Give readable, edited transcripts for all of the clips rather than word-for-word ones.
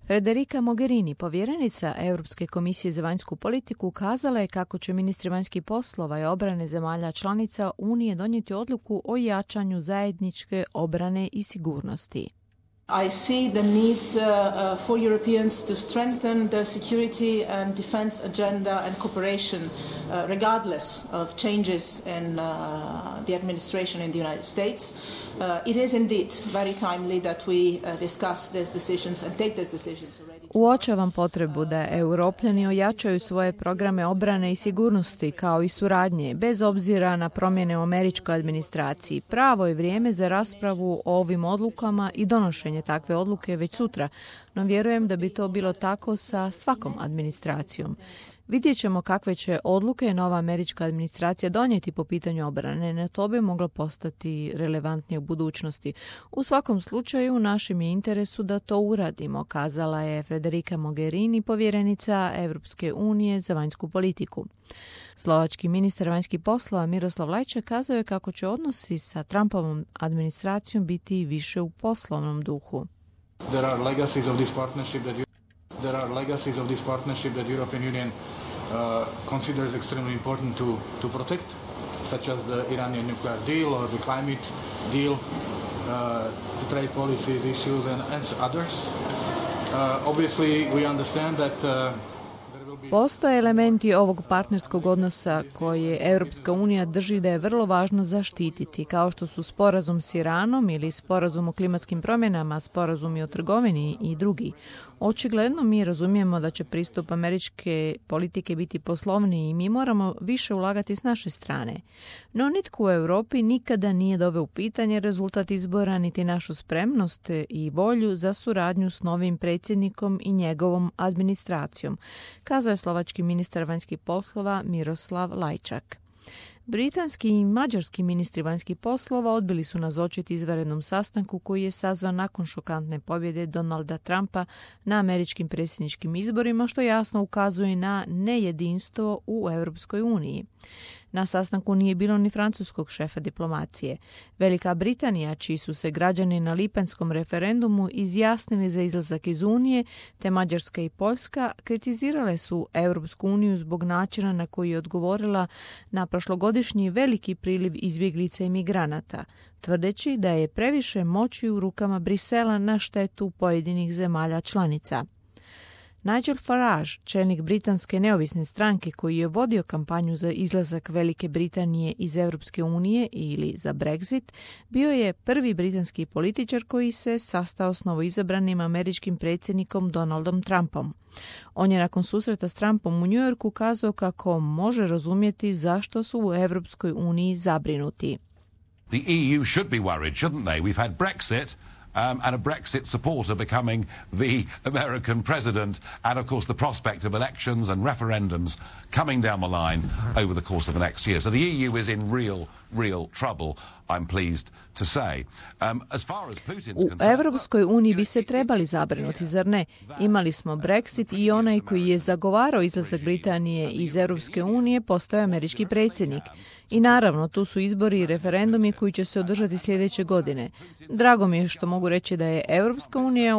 Federica Mogherini, povjerenica Europske komisije za vanjsku politiku, kazala je kako će ministri vanjskih poslova i obrane zemalja članica Unije donijeti odluku o jačanju zajedničke obrane i sigurnosti. I see the needs for Europeans to strengthen their security and defense agenda and cooperation regardless of changes in the administration in the United States. It is indeed very timely that we discuss these decisions and take these decisions already. Uočavam potrebu da Europljani ojačaju svoje programe obrane i sigurnosti kao i suradnje, bez obzira na promjene u američkoj administraciji. Pravo je vrijeme za raspravu o ovim odlukama i donošenje takve odluke već sutra, no vjerujem da bi to bilo tako sa svakom administracijom. Vidjet ćemo kakve će odluke nova američka administracija donijeti po pitanju obrane, no to bi moglo postati relevantnije u budućnosti. U svakom slučaju, u našem je interesu da to uradimo, kazala je Federica Mogherini, povjerenica Europske unije za vanjsku politiku. Slovački ministar vanjskih poslova Miroslav Lajčak kazao je kako će odnosi sa Trumpovom administracijom biti više u poslovnom duhu. There are legacies of this partnership that European Union considers extremely important to protect, such as the Iranian nuclear deal or the climate deal, the trade policies issues and others. Obviously, we understand that postoje elementi ovog partnerskog odnosa koje Europska unija drži da je vrlo važno zaštititi, kao što su sporazum s Iranom ili sporazum o klimatskim promjenama, sporazumi o trgovini i drugi. Očigledno mi razumijemo da će pristup američke politike biti poslovniji i mi moramo više ulagati s naše strane. No nitko u Europi nikada nije doveo u pitanje rezultat izbora niti našu spremnost i volju za suradnju s novim predsjednikom i njegovom administracijom, kazao je slovački ministar vanjskih poslova Miroslav Lajčak. Britanski i mađarski ministri vanjskih poslova odbili su nazočiti izvanrednom sastanku koji je sazvan nakon šokantne pobjede Donalda Trumpa na američkim predsjedničkim izborima, što jasno ukazuje na nejedinstvo u Europskoj uniji. Na sastanku nije bilo ni francuskog šefa diplomacije. Velika Britanija, čiji su se građani na lipanjskom referendumu izjasnili za izlazak iz Unije, te Mađarska i Poljska kritizirale su Europsku uniju zbog načina na koji je odgovorila na prošlogodišnji veliki priliv izbjeglica i migranata, tvrdeći da je previše moći u rukama Brisela na štetu pojedinih zemalja članica. Nigel Farage, čelnik britanske neovisne stranke koji je vodio kampanju za izlazak Velike Britanije iz Europske unije ili za Brexit, bio je prvi britanski političar koji se sastao s novoizabranim američkim predsjednikom Donaldom Trumpom. On je nakon susreta s Trumpom u New Yorku kazao kako može razumjeti zašto su u Europskoj uniji zabrinuti. The EU should be worried, shouldn't they? We've had Brexit. And a Brexit supporter becoming the American president, and of course the prospect of elections and referendums coming down the line over the course of the next year. So the EU is in real trouble, I'm pleased to say. As far as Putin's concerned, u Europskoj uniji bi se trebali zabrinuti, zar ne? Imali smo Brexit i onaj koji je zagovarao izlazak Britanije iz Europske unije postao je američki predsjednik. I naravno, tu su izbori i referendumi koji će se održati sljedeće godine. Drago mi je što mogu reći da je Europska unija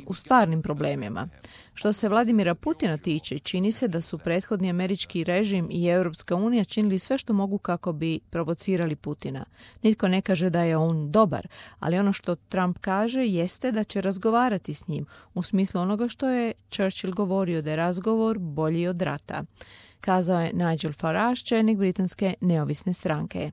u stvarnim problemima. Što se Vladimira Putina tiče, čini se da su prethodni američki režim i Europska unija činili sve što mogu kako bi provocirali Putina. Nitko ne kaže da je on dobar, ali ono što Trump kaže jeste da će razgovarati s njim, u smislu onoga što je Churchill govorio da je razgovor bolji od rata, kazao je Nigel Farage, čelnik britanske neovisne stranke.